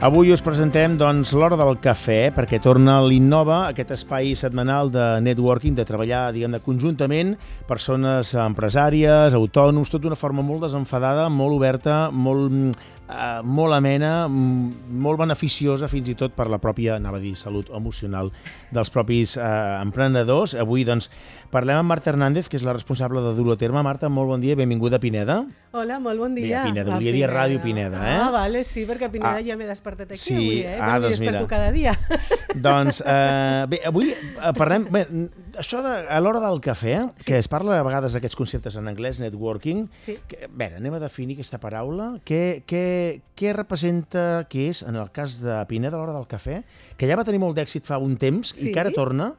Avui us presentem l'Hora del Cafè, perquè torna l'Innova, aquest espai setmanal de networking, de treballar, diguem-ne, conjuntament, persones empresàries, autònoms, tot d'una forma molt desenfadada, molt oberta, molt amena, molt beneficiosa fins i tot per la pròpia, salut emocional dels propis emprenedors. Avui, parlem amb Marta Hernández, que és la responsable de dur-ho a terme. Marta, molt bon dia, benvinguda a Pineda. Hola, molt bon dia. Pineda, volia dir Ràdio Pineda, eh? Ah, vale, sí, perquè a Pineda ja m'he despertat aquí avui, eh? Doncs m'hi desperto cada dia. Bé, avui parlem... Bé, això a l'hora del cafè, que es parla a vegades d'aquests conceptes en anglès, networking, bé, anem a definir aquesta paraula. Què representa, què és, en el cas de Pineda, a l'hora del cafè, que ja va tenir molt d'èxit fa un temps i que ara torna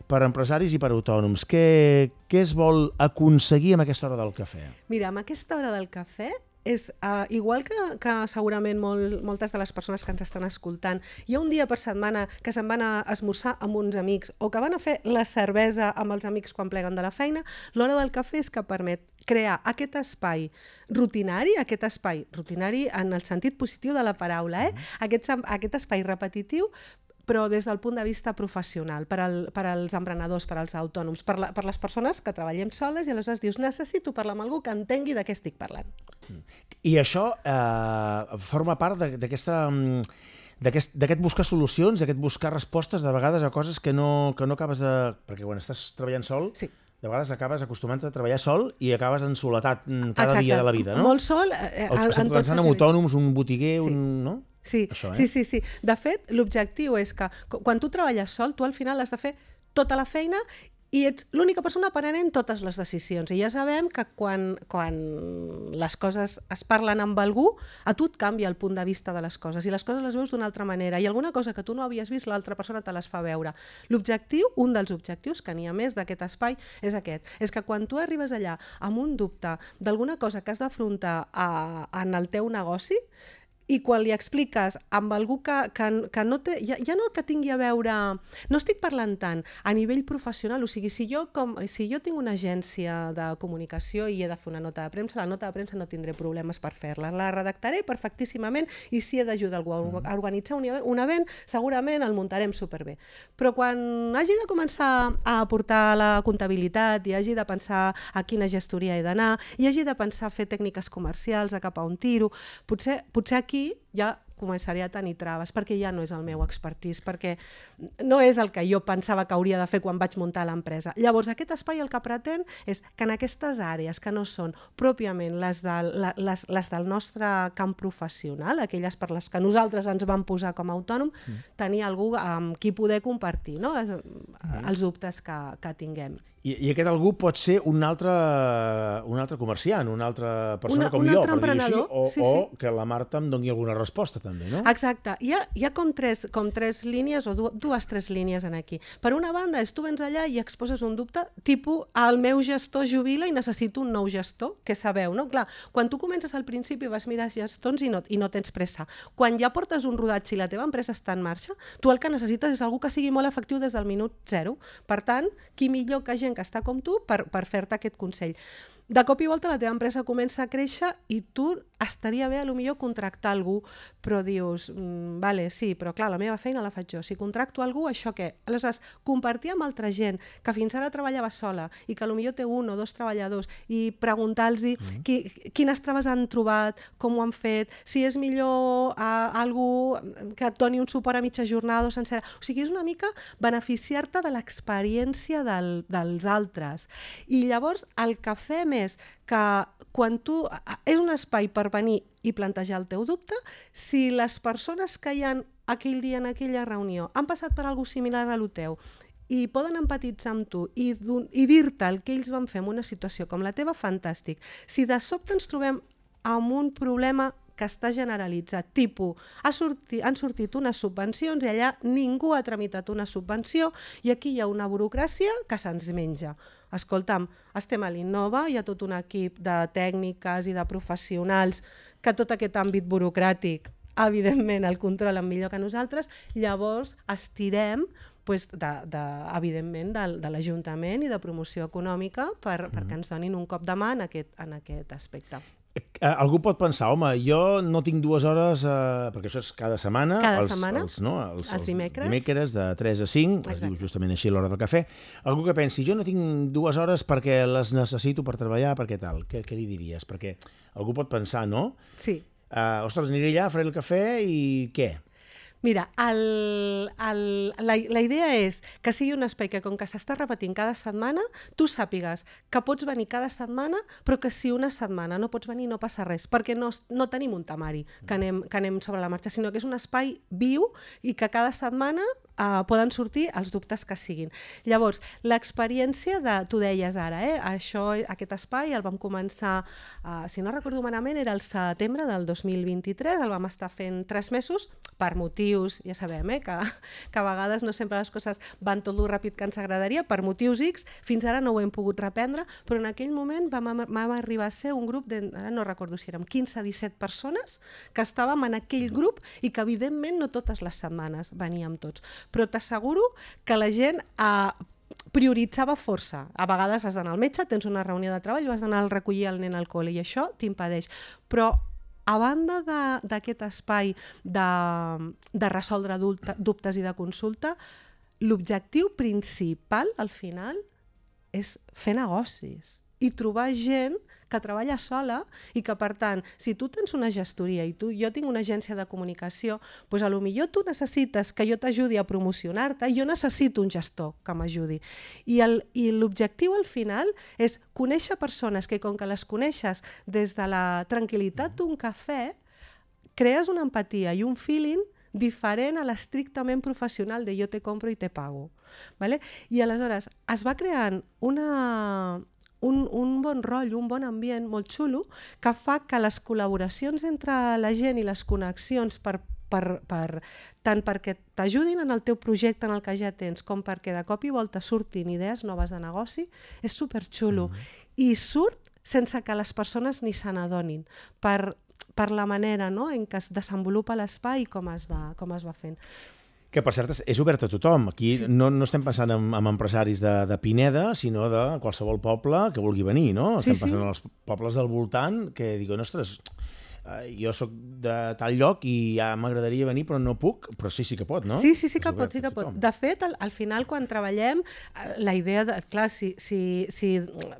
per empresaris i per autònoms. Què es vol aconseguir amb aquesta hora del cafè? Mira, amb aquesta hora del cafè és igual que segurament moltes de les persones que ens estan escoltant, hi ha un dia per setmana que se'n van a esmorzar amb uns amics o que van a fer la cervesa amb els amics quan pleguen de la feina. L'hora del cafè és que permet crear aquest espai rutinari en el sentit positiu de la paraula, aquest espai repetitiu, però des del punt de vista professional, per als emprenedors, per als autònoms, per les persones que treballem soles i aleshores dius, necessito parlar amb algú que entengui de què estic parlant. I això forma part d'aquest buscar solucions, d'aquest buscar respostes de vegades a coses que no acabes de... Perquè quan estàs treballant sol, de vegades acabes acostumant a treballar sol i acabes en soledat cada dia de la vida, no? Molt sol. Estem pensant en autònoms, un botiguer, no? Sí. De fet, l'objectiu és que quan tu treballes sol, tu al final has de fer tota la feina i ets l'única persona prenent totes les decisions. I ja sabem que quan les coses es parlen amb algú, a tu et canvia el punt de vista de les coses i les coses les veus d'una altra manera. I alguna cosa que tu no havies vist, l'altra persona te les fa veure. L'objectiu, un dels objectius, que n'hi ha més d'aquest espai, és aquest. És que quan tu arribes allà amb un dubte d'alguna cosa que has d'afrontar en el teu negoci, i quan li expliques amb algú que no té, ja no que tingui a veure, no estic parlant tant a nivell professional, o sigui, si jo tinc una agència de comunicació i he de fer una nota de premsa, la nota de premsa no tindré problemes per fer-la, la redactaré perfectíssimament i si he d'ajudar algú a organitzar un event, segurament el muntarem superbé. Però quan hagi de començar a aportar la comptabilitat i hagi de pensar a quina gestoria he d'anar i hagi de pensar a fer tècniques comercials, a cap a on tiro, potser aquí ja començaré a tenir traves, perquè ja no és el meu expertise, perquè no és el que jo pensava que hauria de fer quan vaig muntar l'empresa. Llavors, aquest espai el que pretén és que en aquestes àrees que no són pròpiament les del nostre camp professional, aquelles per les que nosaltres ens vam posar com a autònom, tenir algú amb qui poder compartir els dubtes que tinguem. I aquest algú pot ser un altre comerciant, una altra persona com jo, per dir-ho així, o que la Marta em doni alguna resposta també, no? Exacte. Hi ha com tres línies o tres línies en aquí. Per una banda, és tu vens allà i exposes un dubte, tipus, el meu gestor jubila i necessito un nou gestor, que sabeu, no? Clar, quan tu comences al principi vas mirar gestors i no tens pressa. Quan ja portes un rodatge i la teva empresa està en marxa, tu el que necessites és algú que sigui molt efectiu des del minut zero. Per tant, qui millor que gent que està com tu per fer-te aquest consell. De cop i volta la teva empresa comença a créixer i tu estaria bé potser contractar algú, però dius, vale, sí, però clar, la meva feina la faig jo. Si contracto algú, això què? Aleshores, compartir amb altra gent que fins ara treballava sola i que potser té un o dos treballadors i preguntar-los quines traves han trobat, com ho han fet, si és millor algú que et doni un suport a mitja jornada o sencera. O sigui, és una mica beneficiar-te de l'experiència dels altres. I llavors el que fem és que quan tu... És un espai per venir i plantejar el teu dubte. Si les persones que hi ha aquell dia en aquella reunió han passat per alguna cosa similar a lo teu i poden empatitzar amb tu i dir-te el que ells van fer en una situació com la teva, fantàstic. Si de sobte ens trobem amb un problema que està generalitzat, tipus, han sortit unes subvencions i allà ningú ha tramitat una subvenció i aquí hi ha una burocràcia que se'ns menja. Escolta'm, estem a l'Innova, hi ha tot un equip de tècniques i de professionals que tot aquest àmbit burocràtic, evidentment, el controlen millor que nosaltres, llavors estirem evidentment de l'Ajuntament i de promoció econòmica perquè ens donin un cop de mà en aquest aspecte. algú pot pensar, home, jo no tinc 2 hores, perquè això és cada setmana. Cada setmana, els dimecres. Dimecres de 3 a 5, Exacte. es diu justament així l'hora del cafè. Algú que pensi, jo no tinc 2 hores perquè les necessito per treballar, perquè tal. Què li diries? Perquè algú pot pensar, no? Sí. Ostres, aniré allà, faré el cafè i què? Mira, la idea és que sigui un espai que, com que s'està repetint cada setmana, tu sàpigues que pots venir cada setmana, però que si una setmana no pots venir no passa res, perquè no tenim un temari que anem sobre la marxa, sinó que és un espai viu i que cada setmana poden sortir els dubtes que siguin. Llavors, l'experiència tu deies ara, aquest espai el vam començar, si no recordo malament, era el setembre del 2023, el vam estar fent 3 mesos per motius, ja sabem, que a vegades no sempre les coses van tot el ràpid que ens agradaria, per motius X, fins ara no ho hem pogut reprendre, però en aquell moment vam arribar a ser un grup ara no recordo si érem 15-17 persones que estàvem en aquell grup i que evidentment no totes les setmanes veníem tots. Però t'asseguro que la gent prioritzava força. A vegades has d'anar al metge, tens una reunió de treball o has d'anar a recollir el nen al col·le i això t'impedeix. Però a banda d'aquest espai de resoldre dubtes i de consulta, l'objectiu principal al final és fer negocis i trobar gent que treballa sola i que, per tant, si tu tens una gestoria i jo tinc una agència de comunicació, doncs potser tu necessites que jo t'ajudi a promocionar-te i jo necessito un gestor que m'ajudi. I l'objectiu al final és conèixer persones que, com que les coneixes des de la tranquil·litat d'un cafè, crees una empatia i un feeling diferent a l'estrictament professional de jo te compro i te pago. Vale? I aleshores es va creant un bon rotllo, un bon ambient molt xulo, que fa que les col·laboracions entre la gent i les connexions tant perquè t'ajudin en el teu projecte en el que ja tens, com perquè de cop i volta surtin idees noves de negoci, és superxulo. I surt sense que les persones ni se n'adonin, per la manera en què es desenvolupa l'espai i com es va fent. Que, per cert, és obert a tothom. Aquí no estem pensant en empresaris de Pineda, sinó de qualsevol poble que vulgui venir, no? Estem pensant en els pobles del voltant que diuen, ostres, jo sóc de tal lloc i ja m'agradaria venir però no puc, però sí que pot, no? Sí que pot. De fet, al final, quan treballem, la idea clar, si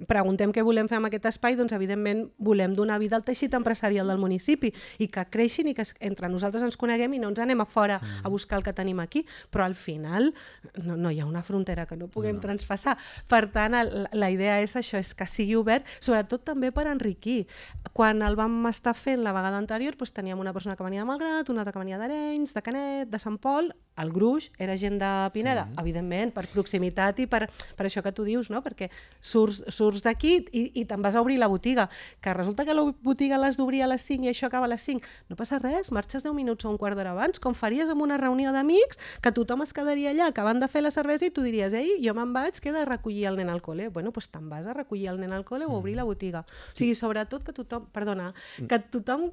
preguntem què volem fer amb aquest espai, doncs evidentment volem donar vida al teixit empresarial del municipi i que creixin i que entre nosaltres ens coneguem i no ens anem a fora a buscar el que tenim aquí, però al final no hi ha una frontera que no puguem transpassar. Per tant, la idea és això, és que sigui obert, sobretot també per enriquir. Quan el vam estar fent la vegada anterior, teníem una persona que venia de Malgrat, una altra que venia d'Arenys, de Canet, de Sant Pol, el gruix era gent de Pineda, evidentment, per proximitat i per això que tu dius, no? Perquè surts d'aquí i te'n vas a obrir la botiga, que resulta que la botiga l'has d'obrir a les 5 i això acaba a les 5. No passa res, marxes 10 minuts o un quart d'hora abans, com faries en una reunió d'amics, que tothom es quedaria allà acabant de fer la cervesa i tu diries, ei, jo me'n vaig, que he de recollir el nen al col·le. Bueno, doncs te'n vas a recollir el nen al col·le o obrir la botiga. O sigui, sobretot que tothom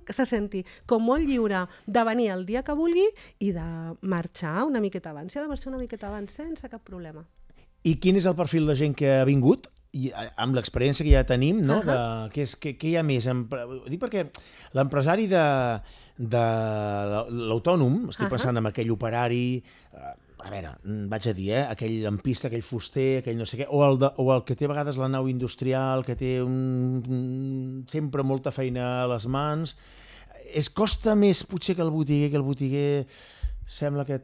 se senti com molt lliure de venir el dia que vulgui i de marxar una miqueta abans. Si ha de marxar una miqueta abans, sense cap problema. I quin és el perfil de gent que ha vingut? I amb l'experiència que ja tenim, no? Què hi ha més? Ho dic perquè l'empresari de l'autònom, estic pensant en aquell operari, a veure, vaig a dir, aquell lampista, aquell fuster, aquell no sé què, o el que té a vegades la nau industrial, que té sempre molta feina a les mans. Costa més potser que el botiguer sembla que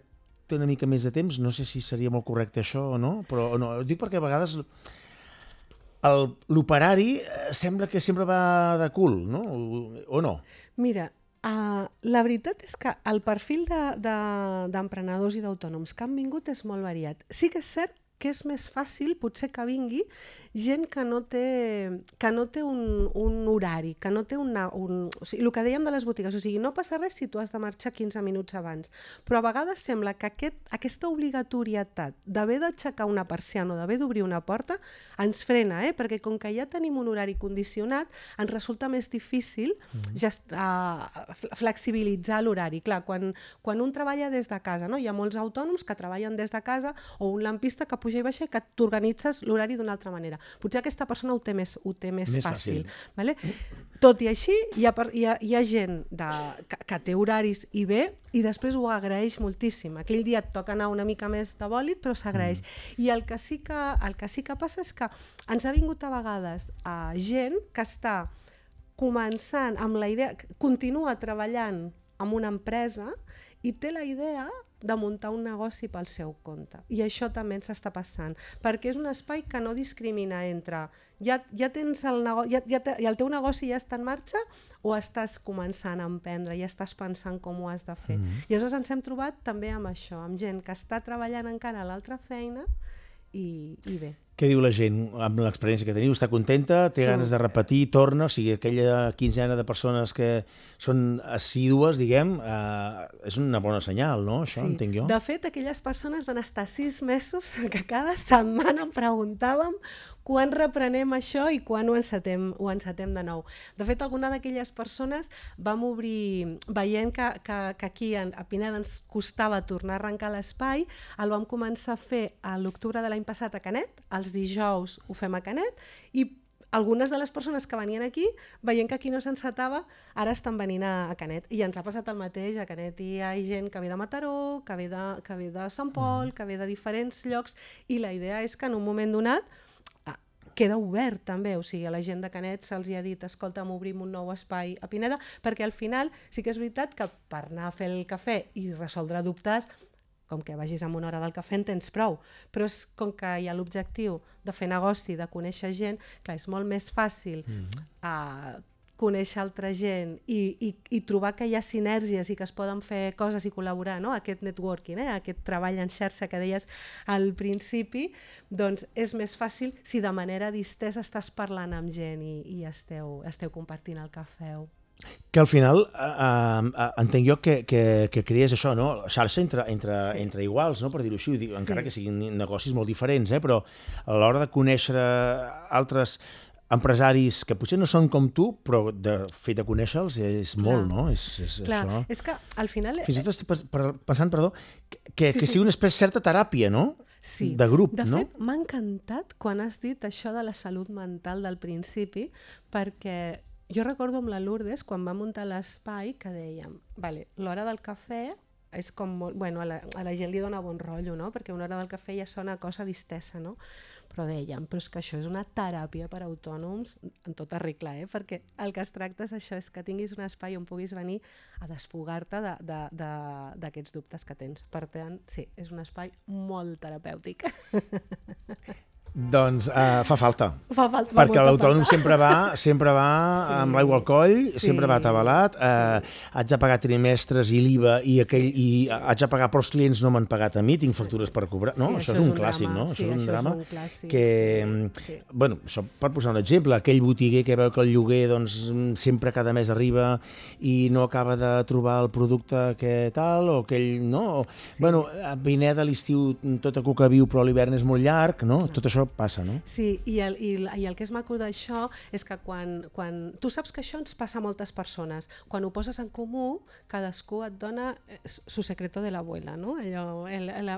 té una mica més de temps, no sé si seria molt correcte això o no, però no, ho dic perquè a vegades l'operari sembla que sempre va de cul, no? O no? Mira, la veritat és que el perfil d'emprenedors i d'autònoms que han vingut és molt variat. Sí que és cert que és més fàcil potser que vingui gent que no té un horari, que no té o sigui, el que dèiem de les botigues, o sigui, no passa res si tu has de marxar 15 minuts abans, però a vegades sembla que aquesta obligatorietat d'haver d'aixecar una persiana o d'haver d'obrir una porta ens frena, perquè com que ja tenim un horari condicionat, ens resulta més difícil flexibilitzar l'horari. Clar, quan un treballa des de casa, no? Hi ha molts autònoms que treballen des de casa o un lampista que puja i baixa i que t'organitzes l'horari d'una altra manera. Potser aquesta persona ho té més fàcil. Vale? Tot i així, hi ha gent que té horaris i ve, i després ho agraeix moltíssim. Aquell dia et toca anar una mica més de bòlit, però s'agraeix. I el que sí que passa és que ens ha vingut a vegades gent que està començant amb la idea, continua treballant amb una empresa i té la idea de muntar un negoci pel seu compte. I això també ens està passant, perquè és un espai que no discrimina entre ja tens el negoci, el teu negoci ja està en marxa o estàs començant a emprendre, ja estàs pensant com ho has de fer. I llavors ens hem trobat també amb això, amb gent que està treballant encara a l'altra feina i bé. Què diu la gent amb l'experiència que teniu? Està contenta? Té ganes de repetir? Torna? O sigui, aquella quinzena de persones que són assídues, diguem, és una bona senyal, no? Això entenc jo. De fet, aquelles persones van estar 6 mesos que cada setmana em preguntàvem quan reprenem això i quan ho encetem de nou. De fet, alguna d'aquelles persones vam obrir, veient que aquí a Pineda ens costava tornar a arrencar l'espai, el vam començar a fer a l'octubre de l'any passat a Canet, els dijous ho fem a Canet, i algunes de les persones que venien aquí, veient que aquí no s'encetava, ara estan venint a Canet. I ens ha passat el mateix, a Canet hi ha gent que ve de Mataró, que ve de Sant Pol, que ve de diferents llocs, i la idea és que en un moment donat queda obert també, o sigui, a la gent de Canet se'ls ha dit, escolta'm, obrim un nou espai a Pineda, perquè al final sí que és veritat que per anar a fer el cafè i resoldre dubtes, com que vagis amb una hora del cafè en tens prou, però és com que hi ha l'objectiu de fer negoci, de conèixer gent, clar, és molt més fàcil conèixer altra gent i trobar que hi ha sinergies i que es poden fer coses i col·laborar, no? Aquest networking, aquest treball en xarxa que deies al principi, doncs és més fàcil si de manera distesa estàs parlant amb gent i esteu compartint el cafè. Que al final entenc jo que crees això, no? Xarxa entre iguals, no? Per dir-ho així, encara que siguin negocis molt diferents, però a l'hora de conèixer altres empresaris que potser no són com tu, però de fet de conèixer-los és molt, no? Clar, això. És que al final... Fins i tot estic pensant, que sigui una certa teràpia, no? Sí. De grup, no? De fet, m'ha encantat quan has dit això de la salut mental del principi, perquè jo recordo amb la Lourdes, quan va muntar l'espai, que dèiem, vale, l'hora del cafè és com molt... Bueno, a la gent li dona bon rotllo, no? Perquè una hora del cafè ja sona cosa distesa, no? Però dèiem, però és que això és una teràpia per a autònoms en tota regla, perquè el que es tracta és això, és que tinguis un espai on puguis venir a desfogar-te d'aquests dubtes que tens. Per tant, sí, és un espai molt terapèutic. Doncs fa falta. Fa falta. Perquè l'autònom sempre va amb l'aigua al coll, sempre va atabalat, haig de pagar trimestres i l'IVA i haig de pagar, però els clients no m'han pagat a mi, tinc factures per cobrar. No, això és un clàssic, no? Això és un drama que, bueno, això per posar un exemple, aquell botiguer que veu que el lloguer doncs sempre cada mes arriba i no acaba de trobar el producte que tal, o aquell, no? Bueno, a Pineda l'estiu tot a cuca viu, però l'hivern és molt llarg, no? Tot això passa, no? Sí, i el que és maco d'això és que quan... Tu saps que això ens passa a moltes persones. Quan ho poses en comú, cadascú et dona su secreto de l'abuela, no? Allò,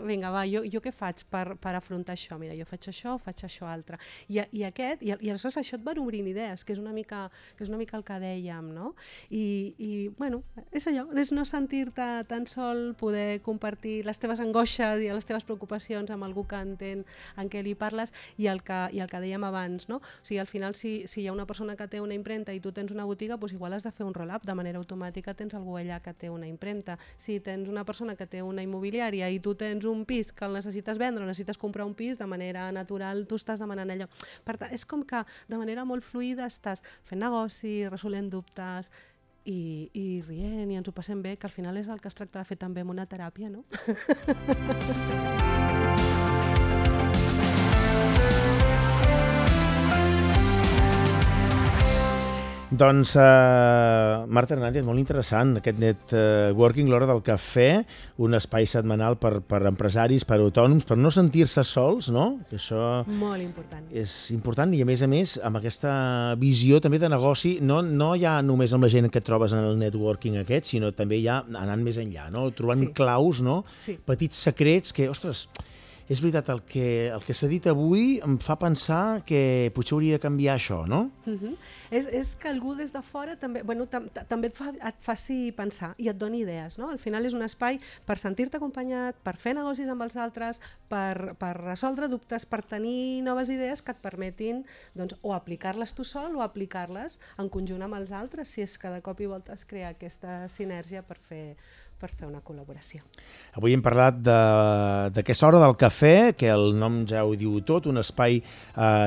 vinga, va, jo què faig per afrontar això? Mira, jo faig això altre. I aleshores això et van obrint idees, que és una mica el que dèiem, no? I bueno, és allò, és no sentir-te tan sol, poder compartir les teves angoixes i les teves preocupacions amb algú que entén en què li parles, i el que dèiem abans, no? O sigui, al final, si hi ha una persona que té una impremta i tu tens una botiga, doncs igual has de fer un roll-up, de manera automàtica tens algú allà que té una impremta. Si tens una persona que té una immobiliària i tu tens un pis que el necessites vendre o necessites comprar un pis, de manera natural tu estàs demanant allò. Per tant, és com que de manera molt fluida estàs fent negoci, resolent dubtes i rient i ens ho passem bé, que al final és el que es tracta de fer també amb una teràpia, no? Doncs, Marta Hernández, molt interessant, aquest networking, l'hora del cafè, un espai setmanal per empresaris, per autònoms, per no sentir-se sols, no? Això molt important. És important i, a més, amb aquesta visió també de negoci, no ja només amb la gent que et trobes en el networking aquest, sinó també ja anant més enllà, no? Trobant claus, no? Petits secrets que, ostres, És veritat, el que s'ha dit avui em fa pensar que potser hauria de canviar això, no? És que algú des de fora també, també et faci pensar i et doni idees. No? Al final és un espai per sentir-te acompanyat, per fer negocis amb els altres, per resoldre dubtes, per tenir noves idees que et permetin o aplicar-les tu sol o aplicar-les en conjunt amb els altres, si és que de cop i volta es crea aquesta sinergia per fer una col·laboració. Avui hem parlat d'aquesta hora del cafè, que el nom ja ho diu tot, un espai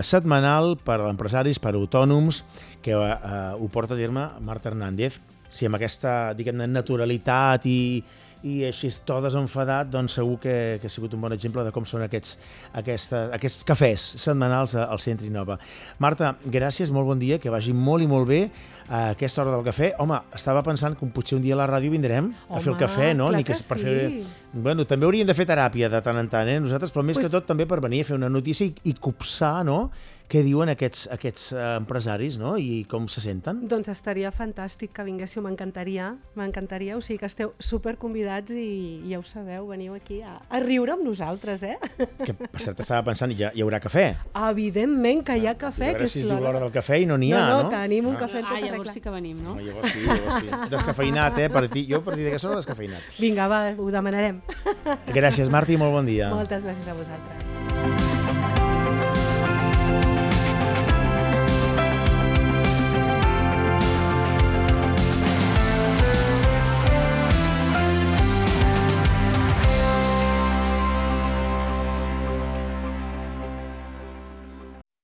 setmanal per a empresaris, per a autònoms, que ho porta a terme Marta Hernández. Si amb aquesta, diguem-ne, naturalitat i així tot desenfadat, doncs segur que ha sigut un bon exemple de com són aquests cafès setmanals al Centre Innova. Marta, gràcies, molt bon dia, que vagi molt i molt bé a aquesta hora del cafè. Home, estava pensant que potser un dia a la ràdio vindrem a fer el cafè, no? Clar que sí. Bueno, també hauríem de fer teràpia de tant en tant, nosaltres, però més que tot també per venir a fer una notícia i copsar, no?, què diuen aquests empresaris, no?, i com se senten. Doncs estaria fantàstic que vinguéssiu, m'encantaria, o sigui que esteu superconvidats i ja ho sabeu, veniu aquí a riure amb nosaltres, Que per cert estava pensant, hi haurà cafè? Evidentment que hi ha cafè. A veure si es diu l'hora del cafè i no n'hi ha, no? No, tenim un cafè en tota regla. Llavors sí que venim, no? Llavors sí. Descafeinat, jo a partir d'aquesta hora descafeinat. Vinga, va, ho demanarem. Gràcies, Marta, i molt bon dia. Moltes gràcies a vosaltres.